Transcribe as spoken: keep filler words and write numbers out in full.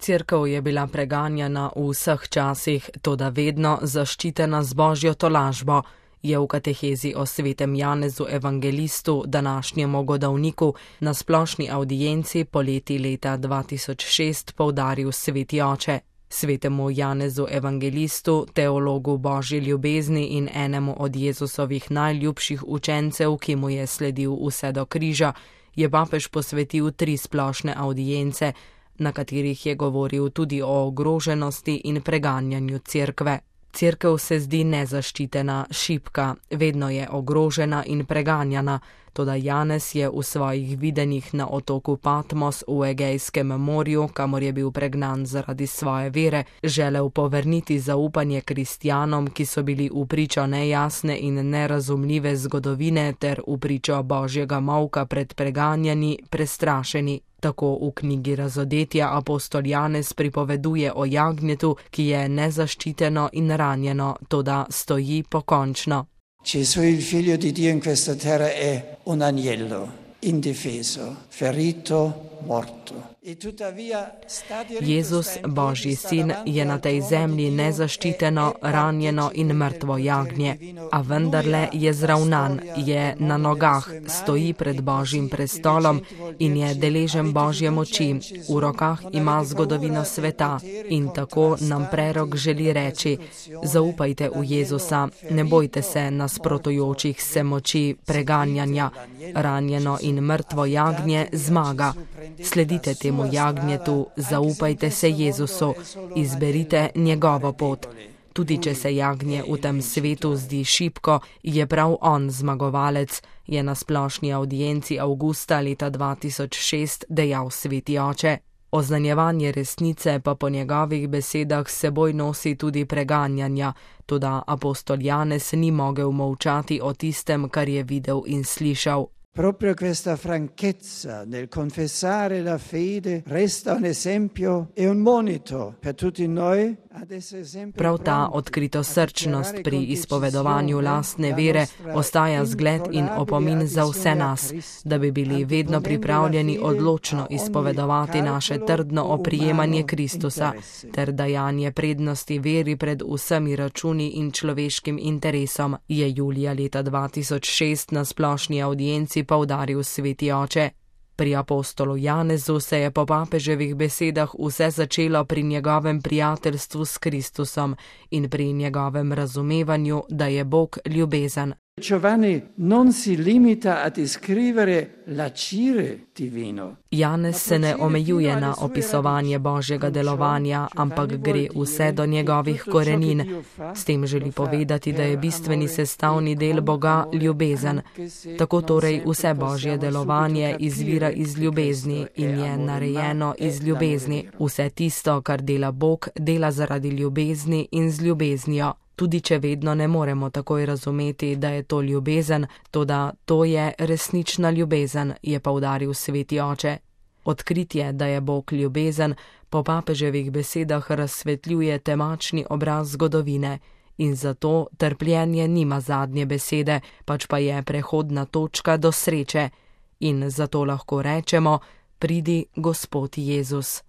Cerkev je bila preganjana v vseh časih, toda vedno zaščitena z božjo tolažbo, je v katehezi o svetem Janezu Evangelistu, današnjemu godovniku, na splošni avdienci poleti leta dva tisoč šest poudaril sveti oče. Svetemu Janezu Evangelistu, teologu božje ljubezni in enemu od Jezusovih najljubših učencev, ki mu je sledil vse do križa, je papež posvetil tri splošne avdience, na katerih je govoril tudi o ogroženosti in preganjanju cerkve. Cerkev se zdi nezaščitena, šibka, vedno je ogrožena in preganjana, toda Janez je v svojih videnjih na otoku Patmos v Egejskem morju, kamor je bil pregnan zaradi svoje vere, želel povrniti zaupanje kristjanom, ki so bili v pričo nejasne in nerazumljive zgodovine ter v pričo božjega molka pred preganjani, prestrašeni. Tako v knjigi Razodetja apostol Janez pripoveduje o jagnjetu, ki je nezaščiteno in ranjeno, toda stoji pokončno. Gesù, il figlio di Dio in questa terra, è un agnello, indifeso, ferito, morto. Jezus, božji sin, je na tej zemlji nezaščiteno, ranjeno in mrtvo jagnje, a vendarle je zravnan, je na nogah, stoji pred božjim prestolom in je deležen božje moči, v rokah ima zgodovino sveta in tako nam prerok želi reči: zaupajte v Jezusa, ne bojte se nasprotujočih se moči preganjanja, ranjeno in mrtvo jagnje zmaga. Sledite temu jagnjetu, zaupajte se Jezusu, izberite njegovo pot. Tudi če se jagnje v tem svetu zdi šibko, je prav on zmagovalec, je na splošni avdienci avgusta leta dva tisoč šest dejal sveti oče. Oznanjevanje resnice pa po njegovih besedah seboj nosi tudi preganjanja, toda apostol Janez ni mogel molčati o tistem, kar je videl in slišal. Proprio questa franchezza nel confessare la fede resta un esempio e un monito per tutti noi. Prav ta odkritosrčnost pri izpovedovanju lastne vere ostaja zgled in opomin za vse nas, da bi bili vedno pripravljeni odločno izpovedovati naše trdno oprijemanje Kristusa ter dajanje prednosti veri pred vsemi računi in človeškim interesom, je julija leta dva tisoč šest na splošni avdienci poudaril sveti oče. Pri apostolu Janezu se je po papeževih besedah vse začelo pri njegovem prijateljstvu s Kristusom in pri njegovem razumevanju, da je Bog ljubezen. Giovanni non si limita a descrivere l'agire divino. Janez se ne omejuje na opisovanje božjega delovanja, ampak gre vse do njegovih korenin. S tem želi povedati, da je bistveni sestavni del Boga ljubezen. Tako torej vse božje delovanje izvira iz ljubezni in je narejeno iz ljubezni. Vse tisto, kar dela Bog, dela zaradi ljubezni in z ljubeznijo. Tudi če vedno ne moremo takoj razumeti, da je to ljubezen, toda to je resnična ljubezen, je poudaril sveti oče. Odkritje, da je Bog ljubezen, po papeževih besedah razsvetljuje temačni obraz zgodovine in zato trpljenje nima zadnje besede, pač pa je prehodna točka do sreče. In zato lahko rečemo: pridi, Gospod Jezus.